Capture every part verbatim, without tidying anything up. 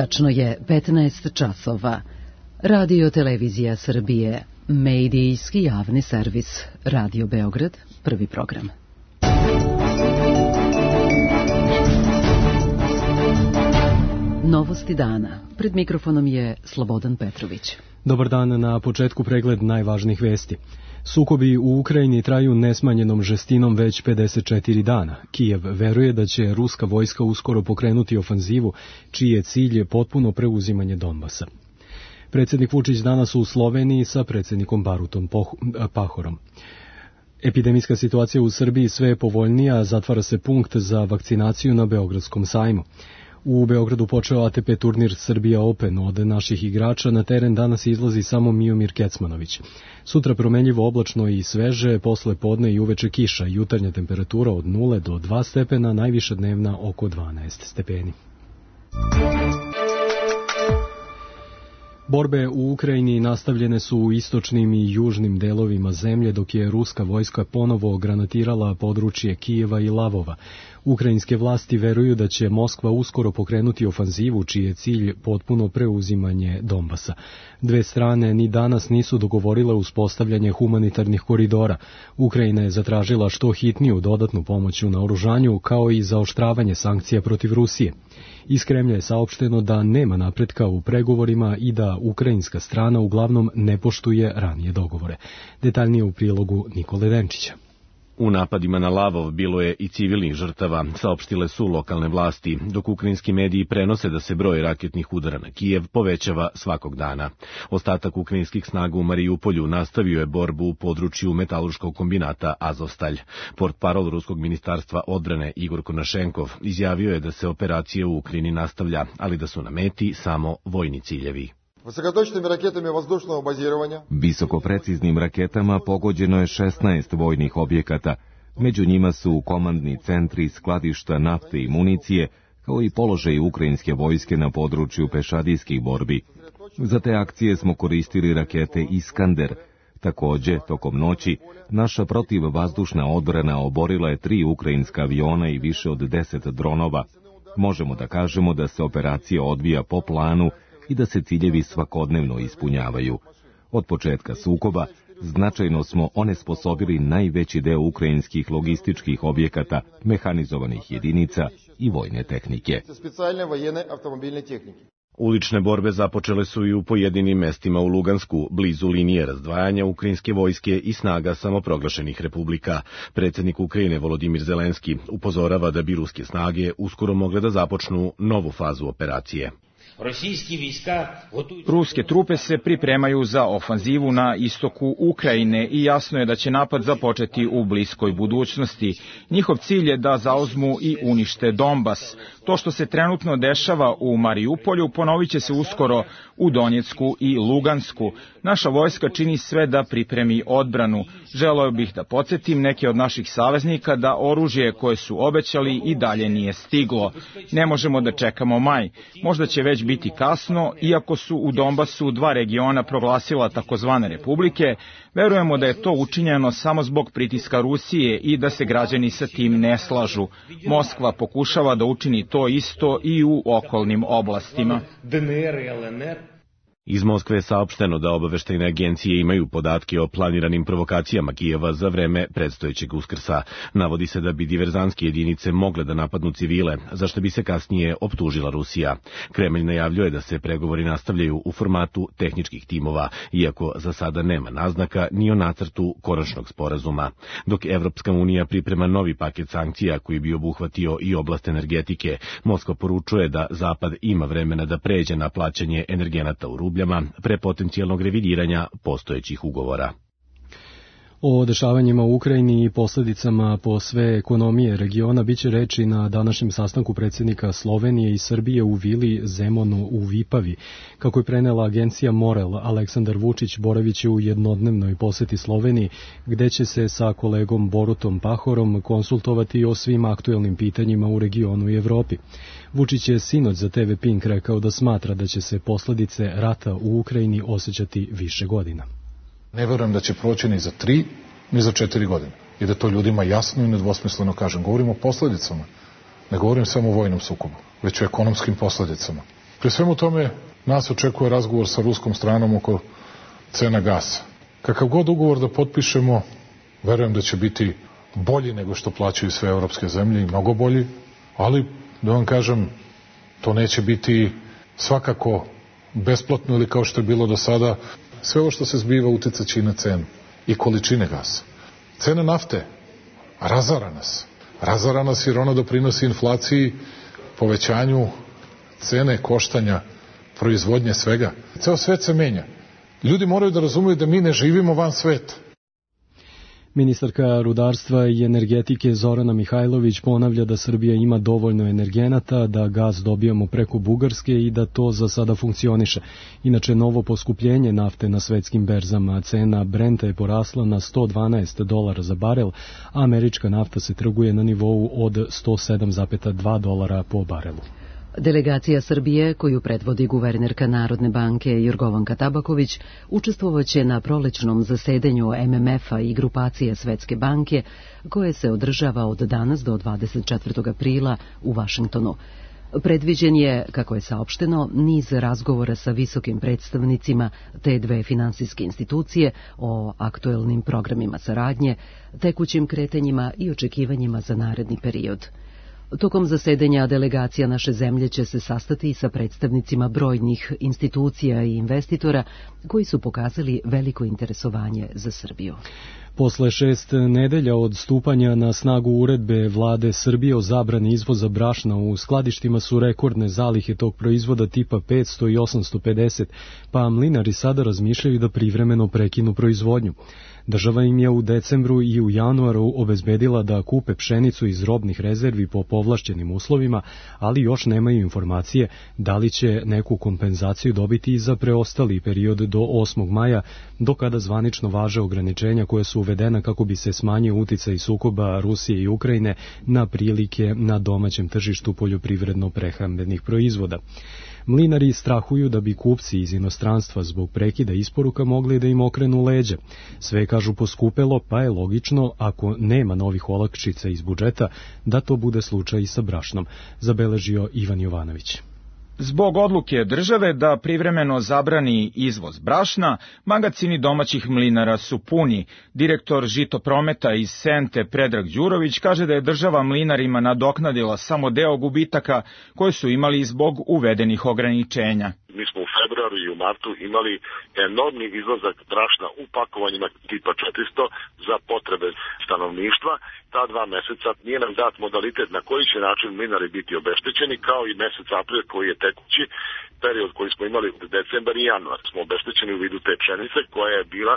Tačno je petnaest časova. Radio Televizija Srbije, medijski javni servis, Radio Beograd, prvi program. Novosti dana. Pred mikrofonom je Slobodan Petrović. Dobar dan, na početku pregled najvažnijih vesti. Sukobi u Ukrajini traju nesmanjenom žestinom već pedeset četiri dana. Kijev veruje da će ruska vojska uskoro pokrenuti ofanzivu, čiji je cilj potpuno preuzimanje Donbasa. Predsjednik Vučić danas u Sloveniji sa predsjednikom Barutom Pahorom. Epidemijska situacija u Srbiji sve je povoljnija, zatvara se punkt za vakcinaciju na Beogradskom sajmu. U Beogradu počeo A T P turnir Srbija Open. Od naših igrača na teren danas izlazi samo Miomir Kecmanović. Sutra promenljivo oblačno i sveže, posle podne i uveče kiša, jutarnja temperatura od nule do dva stepena, najviša dnevna oko dvanaest stepeni. Borbe u Ukrajini nastavljene su u istočnim i južnim delovima zemlje, dok je ruska vojska ponovo granatirala područje Kijeva i Lavova. Ukrajinske vlasti veruju da će Moskva uskoro pokrenuti ofanzivu, čiji je cilj potpuno preuzimanje Donbasa. Dve strane ni danas nisu dogovorile uspostavljanje humanitarnih koridora. Ukrajina je zatražila što hitniju dodatnu pomoć u naoružanju, kao i zaoštravanje sankcija protiv Rusije. Iz Kremlja je saopšteno da nema napretka u pregovorima i da ukrajinska strana uglavnom ne poštuje ranije dogovore. Detaljnije u prilogu Nikole Denčića. U napadima na Lavov bilo je i civilnih žrtava, saopštile su lokalne vlasti, dok ukrajinski mediji prenose da se broj raketnih udara na Kijev povećava svakog dana. Ostatak ukrajinskih snaga u Marijupolju nastavio je borbu u području metalurškog kombinata Azovstalj. Portparol Ruskog ministarstva odbrane Igor Konašenkov izjavio je da se operacija u Ukrajini nastavlja, ali da su na meti samo vojni ciljevi. Visokopreciznim raketama pogođeno je šesnaest vojnih objekata. Među njima su komandni centri, skladišta nafte i municije, kao i položaj ukrajinske vojske na području pešadijskih borbi. Za te akcije smo koristili rakete Iskander. Takođe, tokom noći, naša protivvazdušna odbrana oborila je tri ukrajinska aviona i više od deset dronova. Možemo da kažemo da se operacija odvija po planu i da se ciljevi svakodnevno ispunjavaju. Od početka sukoba značajno smo onesposobili najveći deo ukrajinskih logističkih objekata, mehanizovanih jedinica i vojne tehnike. Ulične borbe započele su i u pojedinim mestima u Lugansku, blizu linije razdvajanja ukrajinske vojske i snaga samoproglašenih republika. Predsjednik Ukrajine Volodimir Zelenski upozorava da bi ruske snage uskoro mogle da započnu novu fazu operacije. Ruske trupe se pripremaju za ofanzivu na istoku Ukrajine i jasno je da će napad započeti u bliskoj budućnosti. Njihov cilj je da zauzmu i unište Donbas. To što se trenutno dešava u Marijupolju ponovit će se uskoro u Donjecku i Lugansku. Naša vojska čini sve da pripremi odbranu. Želeo bih da podsjetim neke od naših saveznika da oružje koje su obećali i dalje nije stiglo. Ne možemo da čekamo maj. Možda će već biti kasno, iako su u Donbasu dva regiona proglasila takozvane republike, verujemo da je to učinjeno samo zbog pritiska Rusije i da se građani sa tim ne slažu. Moskva pokušava da učini to isto i u okolnim oblastima. Iz Moskve je saopšteno da obaveštajne agencije imaju podatke o planiranim provokacijama Kijeva za vreme predstojećeg Uskrsa. Navodi se da bi diverzantske jedinice mogle da napadnu civile, za što bi se kasnije optužila Rusija. Kremlj najavljuje da se pregovori nastavljaju u formatu tehničkih timova, iako za sada nema naznaka ni o nacrtu konačnog sporazuma. Dok Evropska unija priprema novi paket sankcija koji bi obuhvatio i oblast energetike, Moskva poručuje da Zapad ima vremena da pređe na plaćanje energenata u rubljama pre potencijalnog revidiranja postojećih ugovora. O dešavanjima u Ukrajini i posljedicama po sve ekonomije regiona biće reči na današnjem sastanku predsjednika Slovenije i Srbije u vili Zemonu u Vipavi. Kako je prenela agencija Morel, Aleksandar Vučić boraviće u jednodnevnoj poseti Sloveniji, gde će se sa kolegom Borutom Pahorom konsultovati o svim aktuelnim pitanjima u regionu i Evropi. Vučić je sinoć za T V Pink rekao da smatra da će se posledice rata u Ukrajini osjećati više godina. Ne verujem da će proći ni za tri, ni za četiri godine. I da to ljudima jasno i nedvosmisleno kažem. Govorim o posledicama. Ne govorim samo o vojnom sukobu, već o ekonomskim posledicama. Pri svemu tome nas očekuje razgovor sa ruskom stranom oko cena gasa. Kakav god ugovor da potpišemo, verujem da će biti bolji nego što plaćaju sve evropske zemlje i mnogo bolji, ali da vam kažem, to neće biti svakako besplatno ili kao što je bilo do sada. Sve ovo što se zbiva uticaće i na cenu i količine gasa. Cena nafte razara nas. Razara nas jer ona doprinosi inflaciji, povećanju cene koštanja, proizvodnje svega. Ceo svet se menja. Ljudi moraju da razumeju da mi ne živimo van sveta. Ministarka rudarstva i energetike Zorana Mihajlović ponavlja da Srbija ima dovoljno energenata, da gas dobijamo preko Bugarske i da to za sada funkcioniše. Inače, novo poskupljenje nafte na svetskim berzama, cena Brenta je porasla na sto dvanaest dolara za barel, a američka nafta se trguje na nivou od sto sedam zarez dva dolara po barelu. Delegacija Srbije, koju predvodi guvernerka Narodne banke Jorgovanka Tabaković, učestvovaće na prolećnom zasedanju M M F-a i grupacije Svetske banke, koje se održava od danas do dvadeset četvrtog aprila u Vašingtonu. Predviđen je, kako je saopšteno, niz razgovora sa visokim predstavnicima te dve finansijske institucije o aktuelnim programima saradnje, tekućim kretanjima i očekivanjima za naredni period. Tokom zasedanja delegacija naše zemlje će se sastati sa predstavnicima brojnih institucija i investitora koji su pokazali veliko interesovanje za Srbiju. Posle šest nedelja od stupanja na snagu uredbe vlade Srbije o zabrani izvoza brašna, u skladištima su rekordne zalihe tog proizvoda tipa petsto i osamsto pedeset, pa mlinari sada razmišljaju da privremeno prekinu proizvodnju. Država im je u decembru i u januaru obezbedila da kupe pšenicu iz robnih rezervi po povlašćenim uslovima, ali još nemaju informacije da li će neku kompenzaciju dobiti i za preostali period do osmog maja, do kada zvanično važe ograničenja koje su uvedena kako bi se smanjio uticaj sukoba Rusije i Ukrajine na prilike na domaćem tržištu poljoprivredno-prehrambenih proizvoda. Mlinari strahuju da bi kupci iz inostranstva zbog prekida isporuka mogli da im okrenu leđa. Sve, kažu, poskupelo, pa je logično, ako nema novih olakšica iz budžeta, da to bude slučaj i sa brašnom, zabeležio Ivan Jovanović. Zbog odluke države da privremeno zabrani izvoz brašna, magacini domaćih mlinara su puni. Direktor Žitoprometa iz Sente Predrag Đurović kaže da je država mlinarima nadoknadila samo deo gubitaka koje su imali zbog uvedenih ograničenja. Mi smo u februaru i u martu imali enormni izlazak brašna u pakovanjima tipa četiristo za potrebe stanovništva. Ta dva meseca nije nam dat modalitet na koji će način mlinari biti obeštećeni, kao i mesec april koji je tekući period koji smo imali od decembar i januar. Smo obeštećeni u vidu te pšenice koja je bila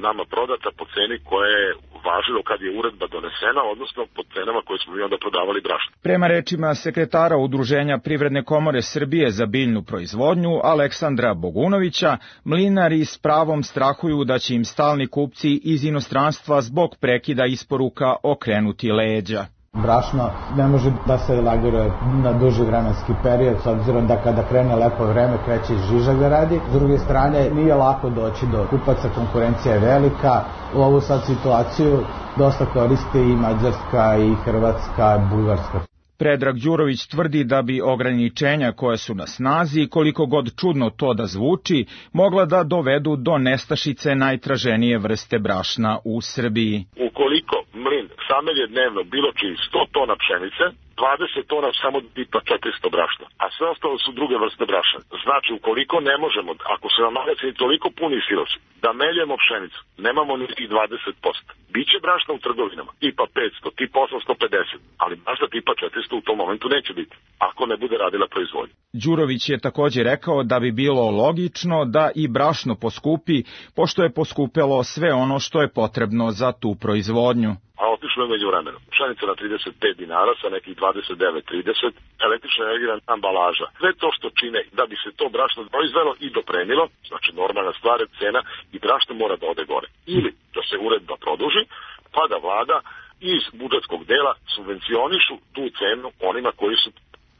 nama prodata po ceni koja je važilo kad je uredba donesena, odnosno po cenama koje smo mi onda prodavali brašno. Prema rečima sekretara Udruženja Privredne komore Srbije za biljnu proizvodnju Aleksandra Bogunovića, mlinari s pravom strahuju da će im stalni kupci iz inostranstva zbog prekida isporuka okrenuti leđa. Brašno ne može da se lagiruje na duži vremenski period, s obzirom da kada krene lepo vreme kreće žiža ga radi. S druge strane, nije lako doći do kupaca, konkurencija je velika. U ovu sad situaciju dosta koriste i Mađarska, i Hrvatska, i Bugarska. Predrag Đurović tvrdi da bi ograničenja koje su na snazi, koliko god čudno to da zvuči, mogla da dovedu do nestašice najtraženije vrste brašna u Srbiji. Ukoliko mlin samelje dnevno bilo čiji sto tona pšenice, dvadeset tona samo tipa četiristo brašna, a sve ostalo su druge vrste brašna. Znači, ukoliko ne možemo, ako se nam magacini toliko puni silosi, da meljemo pšenicu, nemamo niti dvadeset posto. Biće brašna u trgovinama, tipa petsto, tipa osamsto pedeset, ali brašna tipa četiristo u tom momentu neće biti, ako ne bude radila proizvodnja. Đurović je takođe rekao da bi bilo logično da i brašno poskupi, pošto je poskupelo sve ono što je potrebno za tu proizvodnju. A otišlo je među vremenu. Pšenica na trideset pet dinara sa nekih dvadeset devet trideset, električna energija ambalaža. Sve to što čine da bi se to brašno proizvelo i dopremilo, znači normalna stvar je cena i brašno mora da ode gore. Ili da se uredba produži, pa da vlada iz budžetskog dela subvencionišu tu cenu onima koji su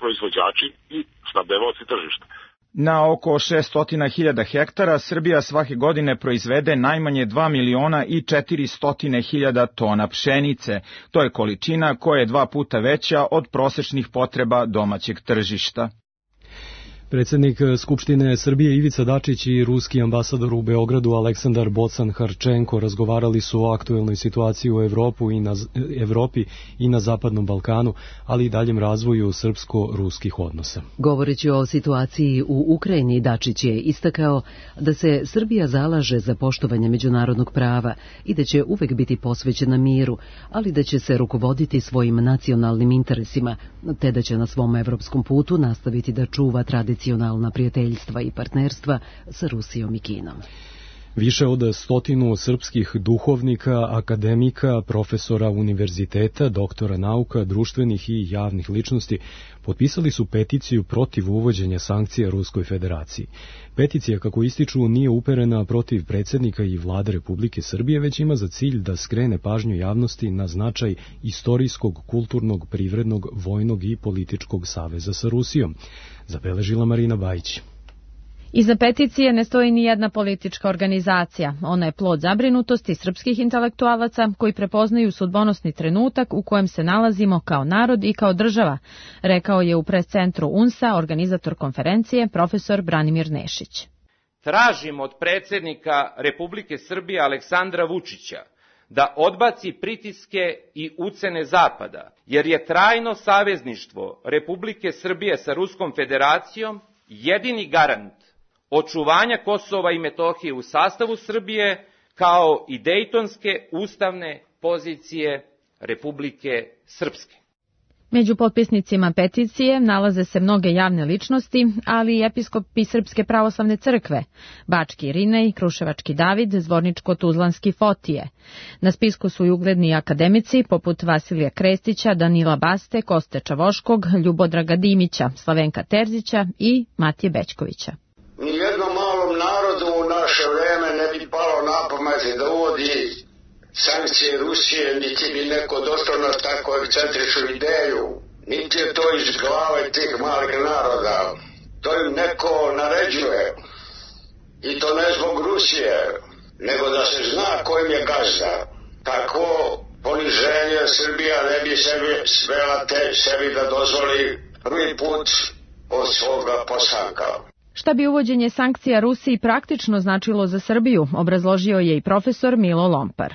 proizvođači i snabdevaoci tržišta. Na oko šesto hiljada hektara Srbija svake godine proizvede najmanje dva miliona i četiristo hiljada tona pšenice. To je količina koja je dva puta veća od prosečnih potreba domaćeg tržišta. Predsjednik Skupštine Srbije Ivica Dačić i ruski ambasador u Beogradu Aleksandar Bocan-Harčenko razgovarali su o aktuelnoj situaciji u Evropu i na, Evropi i na Zapadnom Balkanu, ali i daljem razvoju srpsko-ruskih odnosa. Govoreći o situaciji u Ukrajini, Dačić je istakao da se Srbija zalaže za poštovanje međunarodnog prava i da će uvek biti posvećena miru, ali da će se rukovoditi svojim nacionalnim interesima, te da će na svom evropskom putu nastaviti da čuva tradiciju nacionalna prijateljstva i partnerstva sa Rusijom i Kinom. Više od stotinu srpskih duhovnika, akademika, profesora univerziteta, doktora nauka, društvenih i javnih ličnosti potpisali su peticiju protiv uvođenja sankcija Ruskoj federaciji. Peticija, kako ističu, nije uperena protiv predsjednika i vlade Republike Srbije, već ima za cilj da skrene pažnju javnosti na značaj istorijskog, kulturnog, privrednog, vojnog i političkog saveza sa Rusijom, zabeležila Marina Bajić. Iza peticije ne stoji ni jedna politička organizacija. Ona je plod zabrinutosti srpskih intelektualaca koji prepoznaju sudbonosni trenutak u kojem se nalazimo kao narod i kao država, rekao je u pres-centru U N S A organizator konferencije profesor Branimir Nešić. Tražim od predsjednika Republike Srbije Aleksandra Vučića da odbaci pritiske i ucene Zapada, jer je trajno savezništvo Republike Srbije sa Ruskom federacijom jedini garant očuvanja Kosova i Metohije u sastavu Srbije, kao i dejtonske ustavne pozicije Republike Srpske. Među potpisnicima peticije nalaze se mnoge javne ličnosti, ali i episkopi Srpske pravoslavne crkve, Bački Irinej, Kruševački David, Zvorničko-Tuzlanski Fotije. Na spisku su i ugledni akademici poput Vasilija Krestića, Danila Baste, Koste Čavoškog, Ljubodraga Dimića, Slavenka Terzića i Matije Bećkovića. Nijednom malom narodu u naše vreme ne bi palo na pamet da uvodi sankcije Rusije, niti bi neko došao na tako ekscentričnu ideju. Niti je to iz glave tih malih naroda. To im neko naređuje. I to ne zbog Rusije, nego da se zna kojim je gazda. Tako poniženje Srbija ne bi sebi svela te sebi da dozvoli prvi put od svoga postanka. Šta bi uvođenje sankcija Rusiji praktično značilo za Srbiju, obrazložio je i profesor Milo Lompar.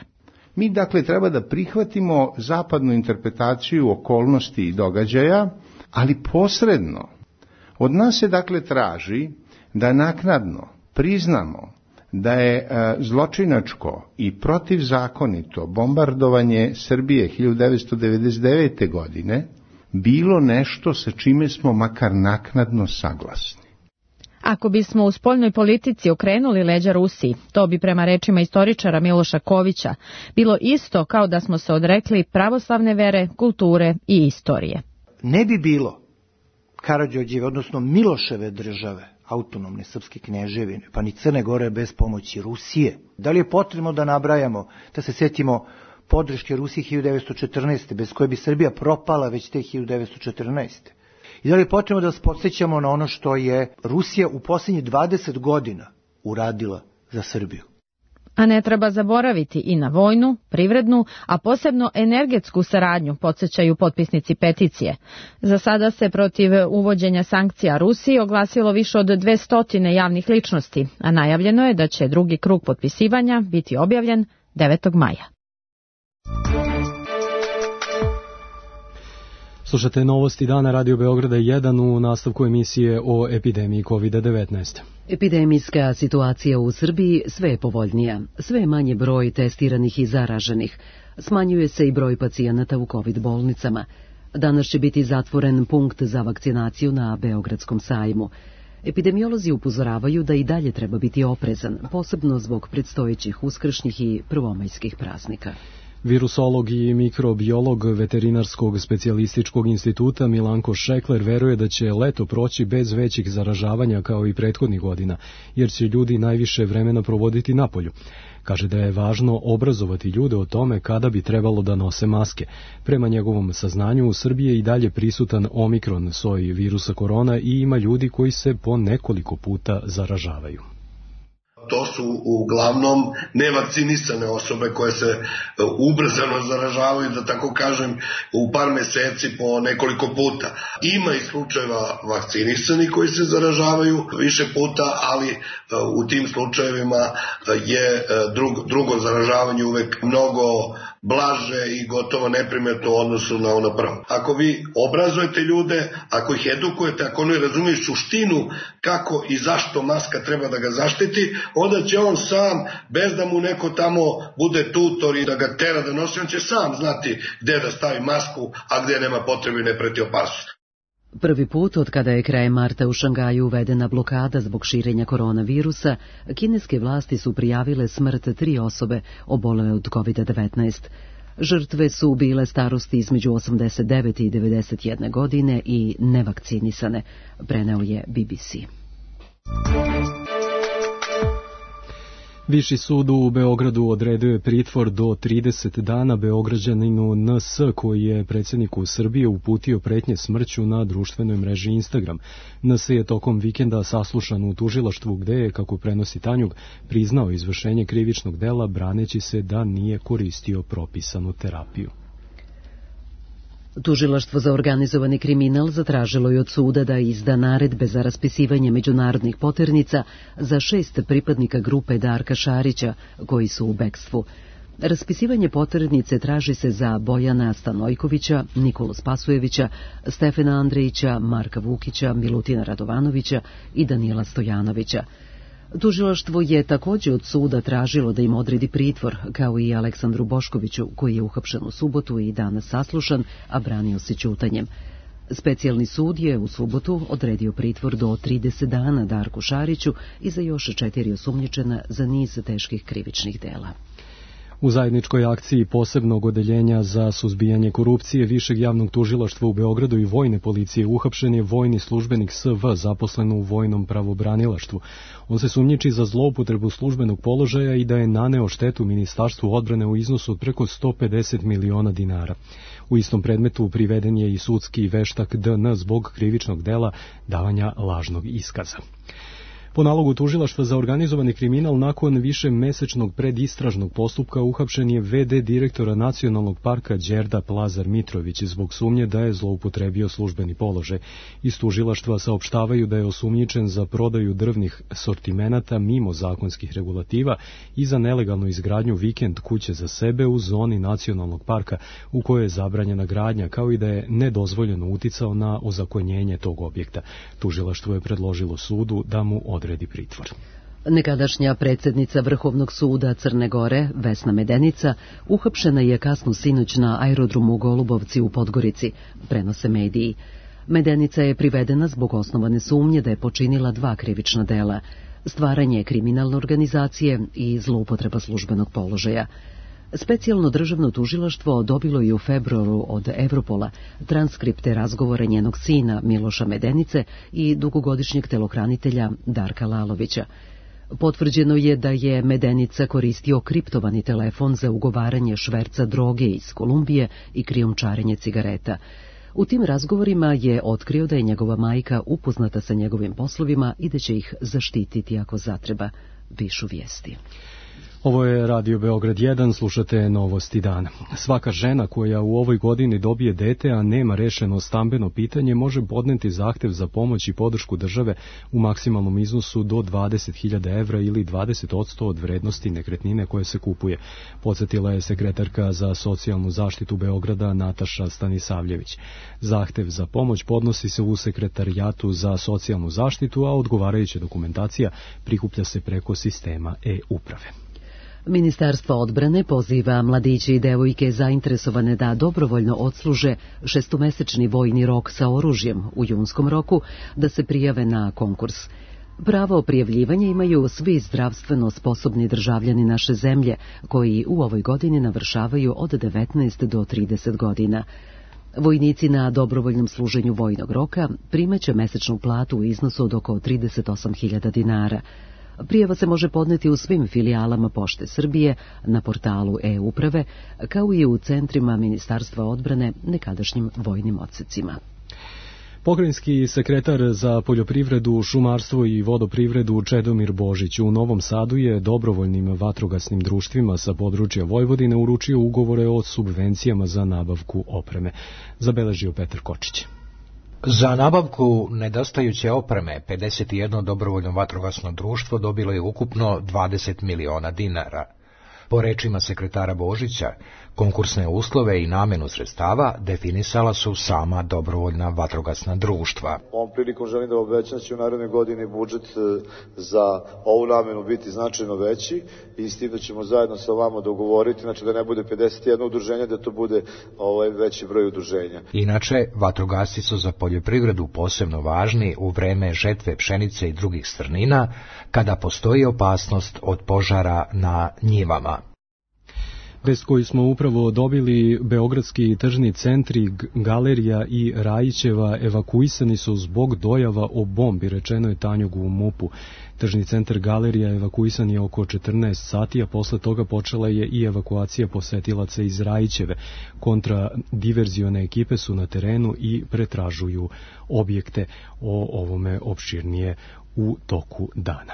Mi dakle treba da prihvatimo zapadnu interpretaciju okolnosti i događaja, ali posredno. Od nas se dakle traži da naknadno priznamo da je e, zločinačko i protivzakonito bombardovanje Srbije hiljadu devetsto devedeset devete. godine bilo nešto sa čime smo makar naknadno saglasni. Ako bismo u spoljnoj politici okrenuli leđa Rusiji, to bi prema rečima istoričara Miloša Kovića bilo isto kao da smo se odrekli pravoslavne vere, kulture i istorije. Ne bi bilo Karađorđeve, odnosno Miloševe države, autonomne srpske kneževine, pa ni Crne Gore bez pomoći Rusije. Da li je potrebno da nabrajamo, da se setimo podrške Rusiji hiljadu devetsto četrnaeste. bez koje bi Srbija propala već te hiljadu devetsto četrnaeste. I da li je potrebno da vas podsjećamo na ono što je Rusija u posljednjih dvadeset godina uradila za Srbiju? A ne treba zaboraviti i na vojnu, privrednu, a posebno energetsku saradnju, podsjećaju potpisnici peticije. Za sada se protiv uvođenja sankcija Rusiji oglasilo više od dvesta javnih ličnosti, a najavljeno je da će drugi krug potpisivanja biti objavljen devetog maja. Slušate novosti dana Radio Beograda jedan u nastavku emisije o epidemiji kovid devetnaest. Epidemijska situacija u Srbiji sve je povoljnija, sve je manje broj testiranih i zaraženih. Smanjuje se i broj pacijenata u kovid bolnicama. Danas će biti zatvoren punkt za vakcinaciju na Beogradskom sajmu. Epidemiolozi upozoravaju da i dalje treba biti oprezan, posebno zbog predstojećih uskršnjih i prvomajskih praznika. Virusolog i mikrobiolog Veterinarskog specijalističkog instituta Milanko Šekler veruje da će leto proći bez većih zaražavanja kao i prethodnih godina, jer će ljudi najviše vremena provoditi napolju. Kaže da je važno obrazovati ljude o tome kada bi trebalo da nose maske. Prema njegovom saznanju u Srbiji je i dalje prisutan omikron soj virusa korona i ima ljudi koji se po nekoliko puta zaražavaju. To su uglavnom nevakcinisane osobe koje se ubrzano zaražavaju, da tako kažem, u par meseci po nekoliko puta. Ima i slučajeva vakcinisani koji se zaražavaju više puta, ali u tim slučajevima je drugo, drugo zaražavanje uvek mnogo blaže i gotovo neprimetno u odnosu na ono prvo. Ako vi obrazujete ljude, ako ih edukujete, ako oni razumiju suštinu kako i zašto maska treba da ga zaštiti, onda će on sam, bez da mu neko tamo bude tutor i da ga tera da nosi, on će sam znati gde da stavi masku, a gde nema potrebe i ne preti opasnost. Prvi put od kada je krajem marta u Šangaju uvedena blokada zbog širenja koronavirusa, kineske vlasti su prijavile smrt tri osobe obolele od kovid devetnaest. Žrtve su bile starosti između osamdeset devet i devedeset jedne godine i nevakcinisane, preneo je B B C. Viši sud u Beogradu odredio je pritvor do trideset dana Beograđaninu N S koji je predsjedniku Srbije uputio pretnje smrću na društvenoj mreži Instagram. N S je tokom vikenda saslušan u tužilaštvu gde je, kako prenosi Tanjug, priznao izvršenje krivičnog dela braneći se da nije koristio propisanu terapiju. Tužilaštvo za organizovani kriminal zatražilo je od suda da izda naredbe za raspisivanje međunarodnih poternica za šest pripadnika grupe Darka Šarića koji su u bekstvu. Raspisivanje poternice traži se za Bojana Stanojkovića, Nikolu Spasujevića, Stefana Andrejića, Marka Vukića, Milutina Radovanovića i Danila Stojanovića. Tužilaštvo je također od suda tražilo da im odredi pritvor, kao i Aleksandru Boškoviću, koji je uhapšen u subotu i danas saslušan, a branio se ćutanjem. Specijalni sud je u subotu odredio pritvor do trideset dana Darku Šariću i za još četiri osumnjičena za niz teških krivičnih dela. U zajedničkoj akciji posebnog odeljenja za suzbijanje korupcije Višeg javnog tužilaštva u Beogradu i vojne policije uhapšen je vojni službenik S V zaposlen u vojnom pravobranilaštvu. On se sumnjiči za zloupotrebu službenog položaja i da je naneo štetu Ministarstvu odbrane u iznosu od preko sto pedeset miliona dinara. U istom predmetu priveden je i sudski veštak D N zbog krivičnog dela davanja lažnog iskaza. Po nalogu tužilaštva za organizovani kriminal, nakon više mesečnog predistražnog postupka uhapšen je V D direktora Nacionalnog parka Đerda Plazar Mitrović zbog sumnje da je zloupotrebio službeni položaj. Iz tužilaštva saopštavaju da je osumnjičen za prodaju drvnih sortimenata mimo zakonskih regulativa i za nelegalnu izgradnju vikend kuće za sebe u zoni Nacionalnog parka u kojoj je zabranjena gradnja, kao i da je nedozvoljeno uticao na ozakonjenje tog objekta. Tužilaštvo je predložilo sudu da mu odredi pritvor. Nekadašnja predsjednica Vrhovnog suda Crne Gore, Vesna Medenica, uhapšena je kasno sinoć na aerodromu u Golubovci u Podgorici, prenose mediji. Medenica je privedena zbog osnovane sumnje da je počinila dva krivična dela, stvaranje kriminalne organizacije i zloupotreba službenog položaja. Specijalno državno tužilaštvo dobilo je u februaru od Evropola transkripte razgovora njenog sina Miloša Medenice i dugogodišnjeg telohranitelja Darka Lalovića. Potvrđeno je da je Medenica koristio kriptovani telefon za ugovaranje šverca droge iz Kolumbije i krijumčarenje cigareta. U tim razgovorima je otkrio da je njegova majka upoznata sa njegovim poslovima i da će ih zaštititi ako zatreba, pišu vijesti. Ovo je Radio Beograd jedan, slušate Novosti dana. Svaka žena koja u ovoj godini dobije dete, a nema rešeno stambeno pitanje, može podneti zahtev za pomoć i podršku države u maksimalnom iznosu do dvadeset hiljada evra ili dvadeset posto od vrednosti nekretnine koje se kupuje. Podsjetila je sekretarka za socijalnu zaštitu Beograda Nataša Stanisavljević. Zahtev za pomoć podnosi se u Sekretarijatu za socijalnu zaštitu, a odgovarajuća dokumentacija prikuplja se preko sistema e-uprave. Ministarstvo odbrane poziva mladiće i devojke zainteresovane da dobrovoljno odsluže šestomesečni vojni rok sa oružjem u junskom roku da se prijave na konkurs. Pravo prijavljivanja imaju svi zdravstveno sposobni državljani naše zemlje koji u ovoj godini navršavaju od devetnaest do trideset godina. Vojnici na dobrovoljnom služenju vojnog roka primaće mesečnu platu u iznosu od oko trideset osam hiljada dinara. Prijava se može podneti u svim filijalama Pošte Srbije, na portalu e-uprave, kao i u centrima Ministarstva odbrane nekadašnjim vojnim odsecima. Pokrajinski sekretar za poljoprivredu, šumarstvo i vodoprivredu Čedomir Božić u Novom Sadu je dobrovoljnim vatrogasnim društvima sa područja Vojvodine uručio ugovore o subvencijama za nabavku opreme. Zabeležio Petar Kočić. Za nabavku nedostajuće opreme pedeset jedno dobrovoljno vatrogasno društvo dobilo je ukupno dvadeset miliona dinara. Po rečima sekretara Božića, konkursne uslove i namenu sredstava definisala su sama dobrovoljna vatrogasna društva. Ovom prilikom želim da obećam da će u narednoj godini budžet za ovu namenu biti značajno veći i s tim da ćemo zajedno sa vama dogovoriti, znači da ne bude pedeset jedno udruženje, da to bude ovaj veći broj udruženja. Inače, vatrogasci su za poljoprivredu posebno važni u vreme žetve pšenice i drugih strnina, kada postoji opasnost od požara na njivama. Vest koju smo upravo dobili, beogradski tržni centri, Galerija i Rajićeva evakuisani su zbog dojava o bombi, rečeno je Tanjugu u MUP-u. Tržni centar Galerija evakuisan je oko četrnaest sati, a posle toga počela je i evakuacija posetilaca iz Rajićeve. Kontradiverzione ekipe su na terenu i pretražuju objekte. O ovome opširnije u toku dana.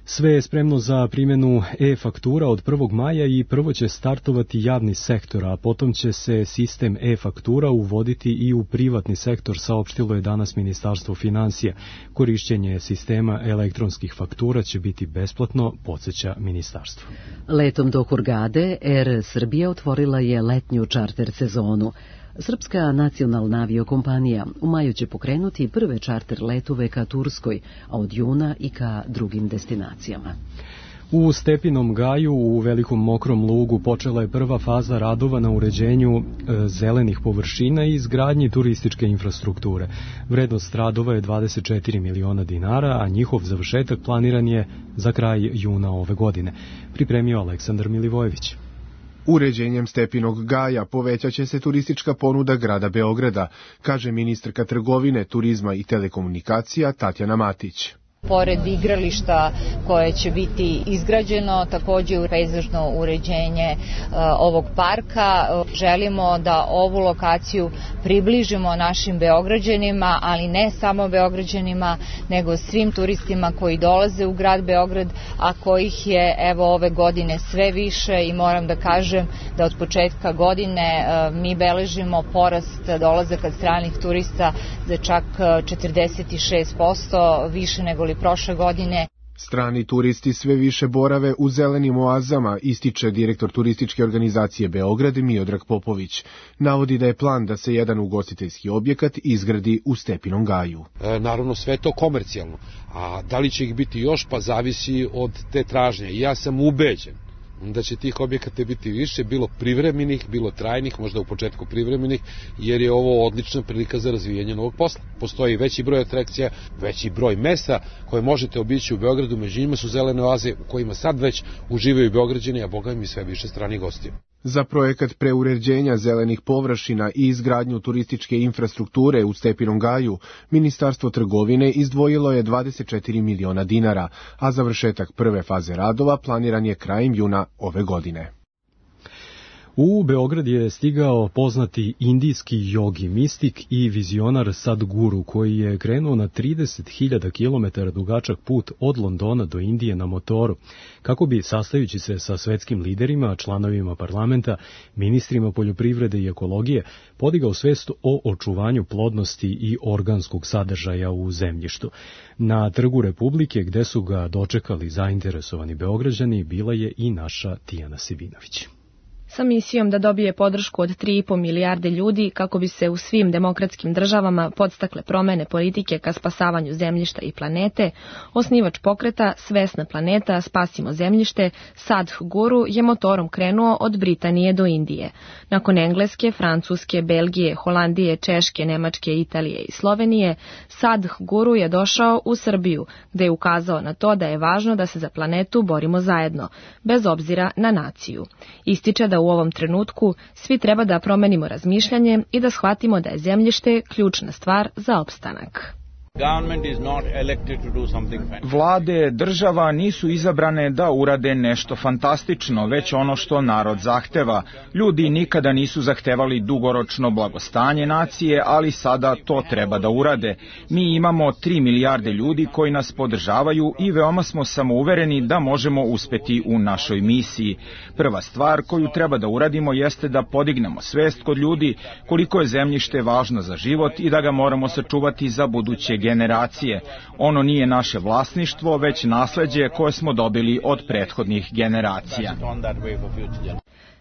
Sve je spremno za primjenu e-faktura od prvog maja i prvo će startovati javni sektor, a potom će se sistem e-faktura uvoditi i u privatni sektor, saopštilo je danas Ministarstvo finansija. Korišćenje sistema elektronskih faktura će biti besplatno, podsjeća ministarstvo. Letom do Hurgade, Er Srbija otvorila je letnju čarter sezonu. Srpska nacionalna aviokompanija u maju će pokrenuti prve čarter letove ka Turskoj, a od juna i ka drugim destinacijama. U Stepinom gaju u Velikom Mokrom lugu počela je prva faza radova na uređenju e, zelenih površina i izgradnji turističke infrastrukture. Vrednost radova je dvadeset četiri miliona dinara, a njihov završetak planiran je za kraj juna ove godine. Pripremio Aleksandar Milivojević. Uređenjem Stepinog gaja povećat će se turistička ponuda grada Beograda, kaže ministarka trgovine, turizma i telekomunikacija Tatjana Matić. Pored igrališta koje će biti izgrađeno, također pejzažno uređenje uh, ovog parka. Želimo da ovu lokaciju približimo našim Beograđanima, ali ne samo Beograđanima, nego svim turistima koji dolaze u grad Beograd, a kojih je evo ove godine sve više i moram da kažem da od početka godine uh, mi beležimo porast dolazaka stranih turista za čak četrdeset šest posto više nego prošle godine. Strani turisti sve više borave u zelenim oazama, ističe direktor turističke organizacije Beograd Miodrag Popović. Navodi da je plan da se jedan ugostiteljski objekat izgradi u Stepinom gaju. E, naravno sve to komercijalno, a da li će ih biti još, pa zavisi od te tražnje. I ja sam ubeđen da će tih objekata biti više, bilo privremenih, bilo trajnih, možda u početku privremenih, jer je ovo odlična prilika za razvijanje novog posla. Postoji veći broj atrakcija, veći broj mesta koje možete obići u Beogradu, među njima su zelene oaze u kojima sad već uživaju Beograđani, a boga mi sve više stranih gostiju. Za projekat preuređenja zelenih površina i izgradnju turističke infrastrukture u Stepinom gaju, Ministarstvo trgovine izdvojilo je dvadeset četiri miliona dinara, a završetak prve faze radova planiran je krajem juna ove godine. U Beograd je stigao poznati indijski jogi, mistik i vizionar Sadguru, koji je krenuo na trideset hiljada kilometara dugačak put od Londona do Indije na motoru, kako bi, sastajući se sa svetskim liderima, članovima parlamenta, ministrima poljoprivrede i ekologije, podigao svest o očuvanju plodnosti i organskog sadržaja u zemljištu. Na Trgu Republike, gde su ga dočekali zainteresovani Beograđani, bila je i naša Tijana Sibinović. Sa misijom da dobije podršku od tri i po milijarde ljudi kako bi se u svim demokratskim državama podstakle promene politike ka spasavanju zemljišta i planete, osnivač pokreta Svesna planeta, spasimo zemljište, Sadhguru je motorom krenuo od Britanije do Indije. Nakon Engleske, Francuske, Belgije, Holandije, Češke, Nemačke, Italije i Slovenije, Sadhguru je došao u Srbiju, gde je ukazao na to da je važno da se za planetu borimo zajedno, bez obzira na naciju. Ističe da u ovom trenutku svi treba da promenimo razmišljanje i da shvatimo da je zemljište ključna stvar za opstanak. Vlade država nisu izabrane da urade nešto fantastično, već ono što narod zahteva. Ljudi nikada nisu zahtevali dugoročno blagostanje nacije, ali sada to treba da urade. Mi imamo tri milijarde ljudi koji nas podržavaju i veoma smo samouvereni da možemo uspeti u našoj misiji. Prva stvar koju treba da uradimo jeste da podignemo svest kod ljudi koliko je zemljište važno za život i da ga moramo sačuvati za buduće generacije. Ono nije naše vlasništvo, već nasleđe koje smo dobili od prethodnih generacija.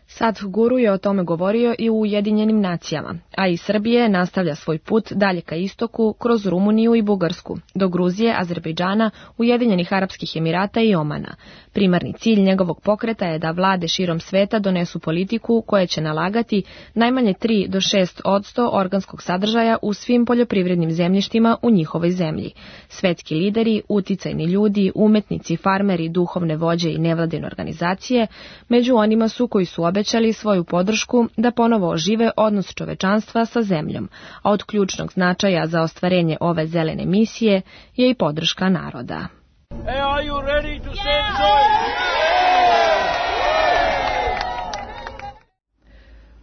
Sadh Guru je o tome govorio i u Ujedinjenim nacijama, a i Srbije nastavlja svoj put dalje ka istoku kroz Rumuniju i Bugarsku, do Gruzije, Azerbejdžana, Ujedinjenih Arapskih Emirata i Omana. Primarni cilj njegovog pokreta je da vlade širom sveta donesu politiku koja će nalagati najmanje tri do šest odsto organskog sadržaja u svim poljoprivrednim zemljištima u njihovoj zemlji. Svetski lideri, uticajni ljudi, umetnici, farmeri, duhovne vođe i nevladine organizacije, među onima su koji su obećali svoju podršku da ponovo ožive odnos čovečanstva sa zemljom, a od ključnog značaja za ostvarenje ove zelene misije je i podrška naroda. Hey, are you ready to save joy?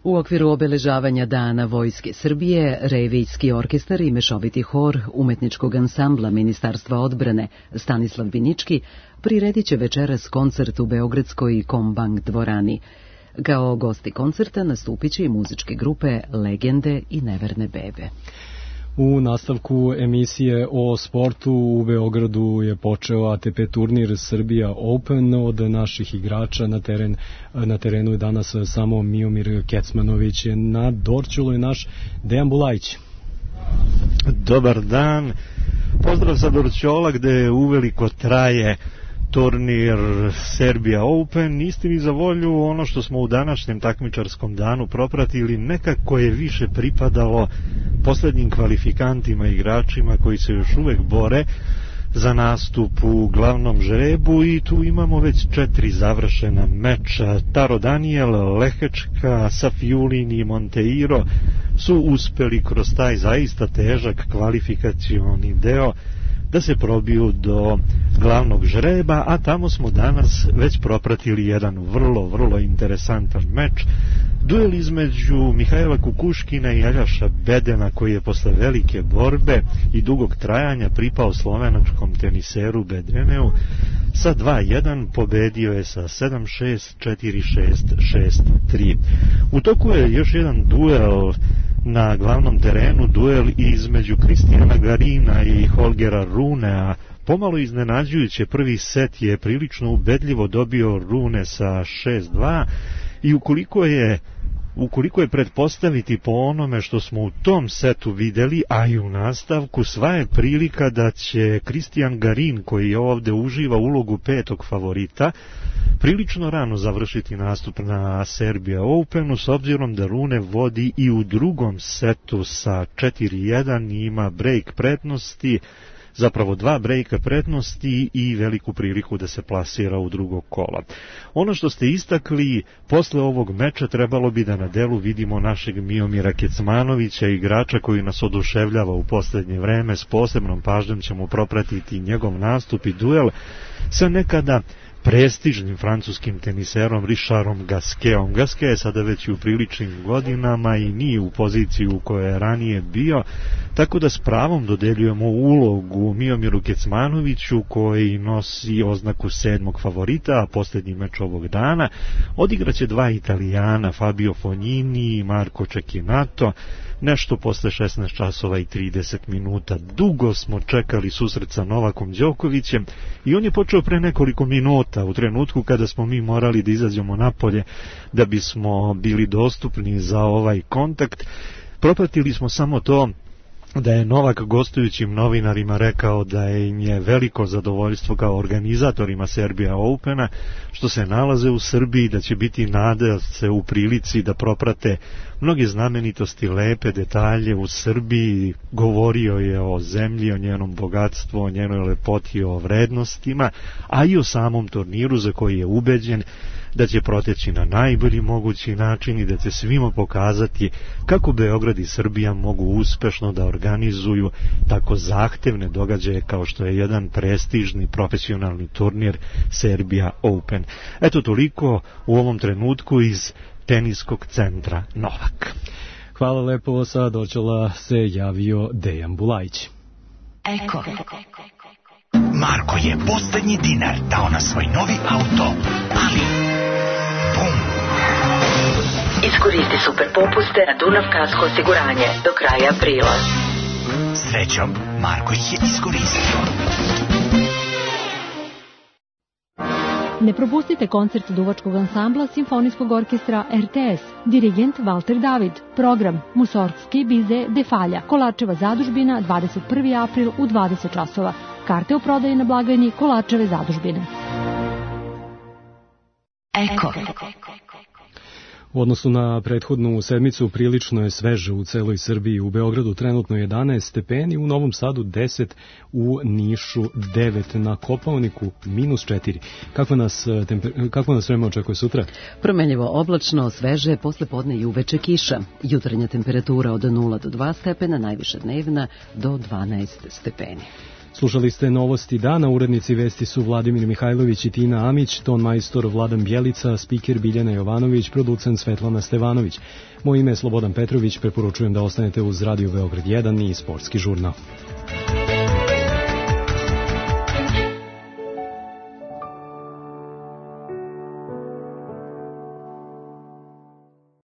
U okviru obeležavanja Dana Vojske Srbije, Revijski orkestar i mešoviti hor umetničkog ansambla Ministarstva odbrane Stanislav Binički priredit će večeras koncert u Beogradskoj Kombank dvorani. Kao gosti koncerta nastupit će i muzičke grupe Legende i Neverne bebe. U nastavku emisije o sportu u Beogradu je počeo A T P turnir Srbija Open. Od naših igrača na, teren, na terenu je danas samo Miomir Kecmanović. Na Dorćolu je naš Dejan Bulajić. Dobar dan. Pozdrav sa Dorćola gde uveliko traje turnir Serbia Open. Istini za volju, ono što smo u današnjem takmičarskom danu propratili nekako je više pripadalo poslednjim kvalifikantima, igračima koji se još uvek bore za nastup u glavnom žrebu i tu imamo već četiri završena meča. Taro Daniel, Lehečka, Safiulin i Monteiro su uspeli kroz taj zaista težak kvalifikacioni deo da se probiju do glavnog žreba, a tamo smo danas već propratili jedan vrlo, vrlo interesantan meč. Duel između Mihajla Kukuškina i Aljaša Bedena, koji je posle velike borbe i dugog trajanja pripao slovenačkom teniseru Bedreneu, sa dva jedan pobedio je sa sedam šest, četiri šest, šest tri. U toku je još jedan duel na glavnom terenu, duel između Kristijana Garina i Holgera Runea. Pomalo iznenađujuće, prvi set je prilično ubedljivo dobio Rune sa šest dva i ukoliko je Ukoliko je pretpostaviti po onome što smo u tom setu videli, a i u nastavku, sva je prilika da će Kristijan Garin, koji ovde uživa ulogu petog favorita, prilično rano završiti nastup na Serbia Openu, s obzirom da Rune vodi i u drugom setu sa četiri jedan i ima break prednosti, zapravo dva brejka prednosti i veliku priliku da se plasira u drugog kola. Ono što ste istakli, posle ovog meča trebalo bi da na delu vidimo našeg Miomira Kecmanovića, igrača koji nas oduševljava u poslednje vreme. S posebnom pažnjom ćemo propratiti njegov nastup i duel sa nekada prestižnim francuskim teniserom Richardom Gasquetom. Gasquet je sada već u priličnim godinama i nije u poziciji u kojoj je ranije bio, tako da s pravom dodeljujemo ulogu Miomiru Kecmanoviću, koji nosi oznaku sedmog favorita, a posljednji meč ovog dana odigraće dva Italijana, Fabio Fognini i Marco Cecchinato, nešto posle šesnaest časova i trideset minuta. Dugo smo čekali susret sa Novakom Đokovićem i on je počeo pre nekoliko minuta, u trenutku kada smo mi morali da izađemo napolje da bismo bili dostupni za ovaj kontakt. Propratili smo samo to da je Novak gostujućim novinarima rekao da im je veliko zadovoljstvo kao organizatorima Serbia Opena što se nalaze u Srbiji, da će biti nada se u prilici da proprate mnoge znamenitosti, lepe detalje u Srbiji, govorio je o zemlji, o njenom bogatstvu, o njenoj lepoti, o vrednostima, a i o samom turniru za koji je ubeđen da će proteći na najbolji mogući način i da će svima pokazati kako Beograd i Srbija mogu uspešno da organizuju tako zahtevne događaje kao što je jedan prestižni profesionalni turnir Serbia Open. Eto toliko u ovom trenutku iz teniskog centra Novak. Hvala lepo, sa Dorćola se javio Dejan Bulajić. Eko. Marko je poslednji dinar dao na svoj novi auto, ali bum! Iskoristi super popuste na Dunav Kasko osiguranje do kraja aprila. Srećom, Marko ih je iskoristio. Ne propustite koncert duvačkog ansambla Simfonijskog orkestra R T S, dirigent Valter David, program Musorgski bize Defalja, Kolačeva zadužbina, dvadeset prvi april u dvadeset časova. Karte u prodaji na blagajni Kolačeve zadužbine. Eko. U odnosu na prethodnu sedmicu prilično je sveže u celoj Srbiji. U Beogradu trenutno jedanaest stepeni, u Novom Sadu deset, u Nišu devet, na Kopaoniku minus četiri. Kako nas, temper... Kako nas vreme očekuje sutra? Promenljivo oblačno, sveže, posle podne i uveče kiša. Jutarnja temperatura od nula do dva stepena, najviša dnevna do dvanaest stepeni. Slušali ste novosti dana, urednici vesti su Vladimir Mihajlović i Tina Amić, ton majstor Vladan Bjelica, spiker Biljana Jovanović, producent Svetlana Stevanović. Moje ime je Slobodan Petrović, preporučujem da ostanete uz Radio Beograd jedan i Sportski žurnal.